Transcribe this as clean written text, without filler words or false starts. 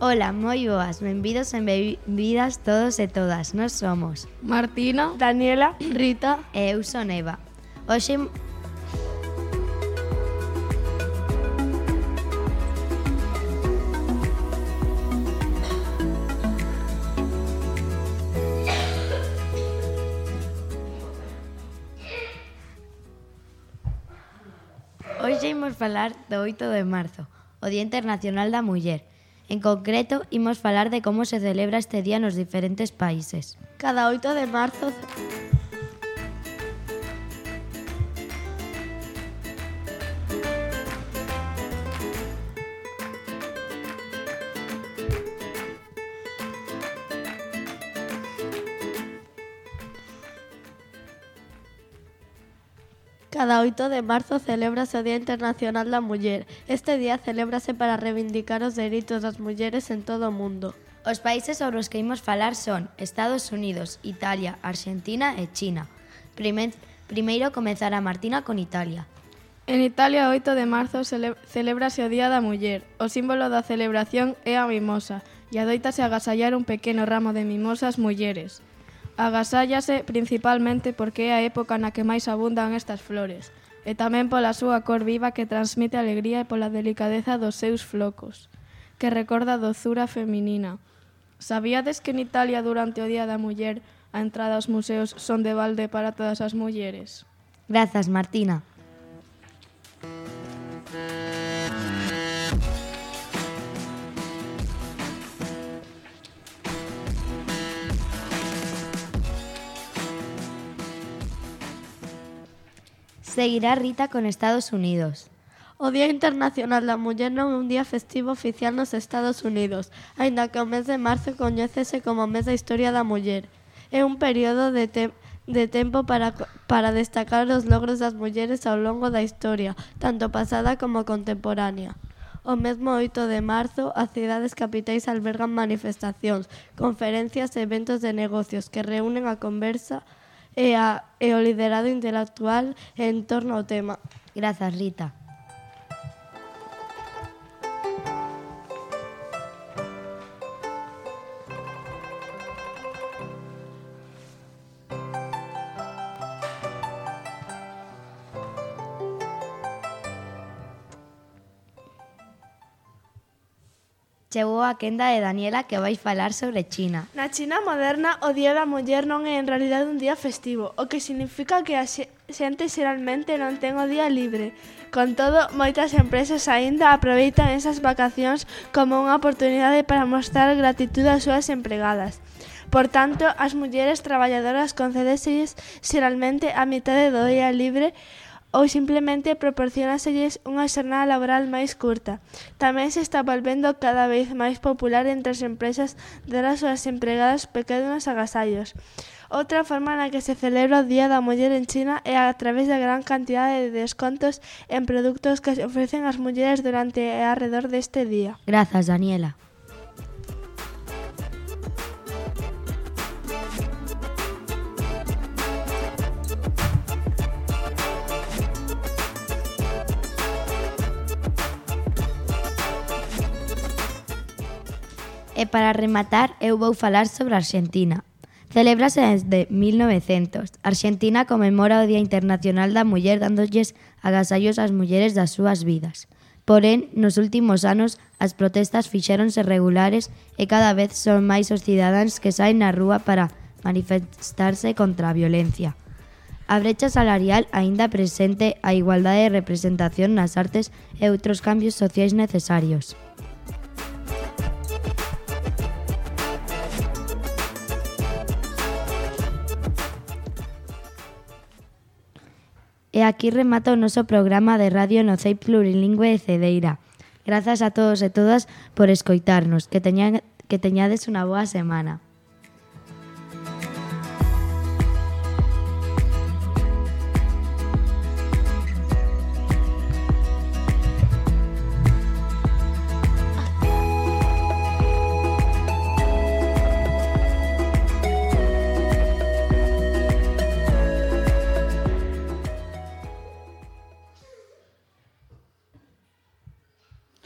Ola, moi boas, benvidos e benvidas todos e todas. Nós somos Martina, Daniela, Rita e eu son Eva. Hoxe imos falar do 8 de marzo, o Día Internacional da Muller. En concreto, imos falar de como se celebra este día nos diferentes países. Cada 8 de marzo celébrase o Día Internacional da Muller. Este día celébrase para reivindicar os dereitos das mulleres en todo o mundo. Os países sobre os que imos falar son Estados Unidos, Italia, Argentina e China. Primeiro comezará Martina con Italia. En Italia, o 8 de marzo, celébrase o Día da Muller. O símbolo da celebración é a mimosa e adoítase agasallar un pequeno ramo de mimosas mulleres. Agasállase principalmente porque é a época na que máis abundan estas flores e tamén pola súa cor viva que transmite alegría e pola delicadeza dos seus flocos, que recorda a dozura feminina. Sabíades que en Italia durante o Día da Muller a entrada aos museos son de balde para todas as mulleres? Grazas, Martina. Seguirá Rita con Estados Unidos. O Día Internacional da Muller non é un día festivo oficial nos Estados Unidos, aínda que o mes de marzo coñécese como mes da historia da muller. É un período de tempo para destacar os logros das mulleres ao longo da historia, tanto pasada como contemporánea. O mesmo 8 de marzo, as cidades capitais albergan manifestacións, conferencias e eventos de negocios que reúnen a conversa e o liderado intelectual en torno ao tema. Grazas, Rita. Chegou a quenda de Daniela que vai falar sobre China. Na China moderna, o Día da Muller non é en realidade un día festivo, o que significa que a xente xeralmente non ten o día libre. Con todo, moitas empresas aínda aproveitan esas vacacións como unha oportunidade para mostrar gratitud ás súas empregadas. Por tanto, as mulleres traballadoras concedéselles xeralmente a mitade do día libre ou simplemente proporcionáselles unha xornada laboral máis curta. Tamén se está volvendo cada vez máis popular entre as empresas dar ás súas empregadas pequenos agasallos. Outra forma na que se celebra o Día da Muller en China é a través da gran cantidade de descontos en produtos que se ofrecen ás mulleres durante e arredor deste día. Grazas, Daniela. E para rematar, eu vou falar sobre Argentina. Celébrase desde 1900. Argentina conmemora o Día Internacional da Muller dándolles agasallos ás mulleres das súas vidas. Porén, nos últimos anos, as protestas fixéronse regulares e cada vez son máis os cidadáns que saen na rúa para manifestarse contra a violencia. A brecha salarial aínda presente a igualdade de representación nas artes e outros cambios sociais necesarios. E aquí remata o noso programa de radio no CEIP Plurilingüe de Cedeira. Grazas a todos e todas por escoitarnos. Que teñades unha boa semana.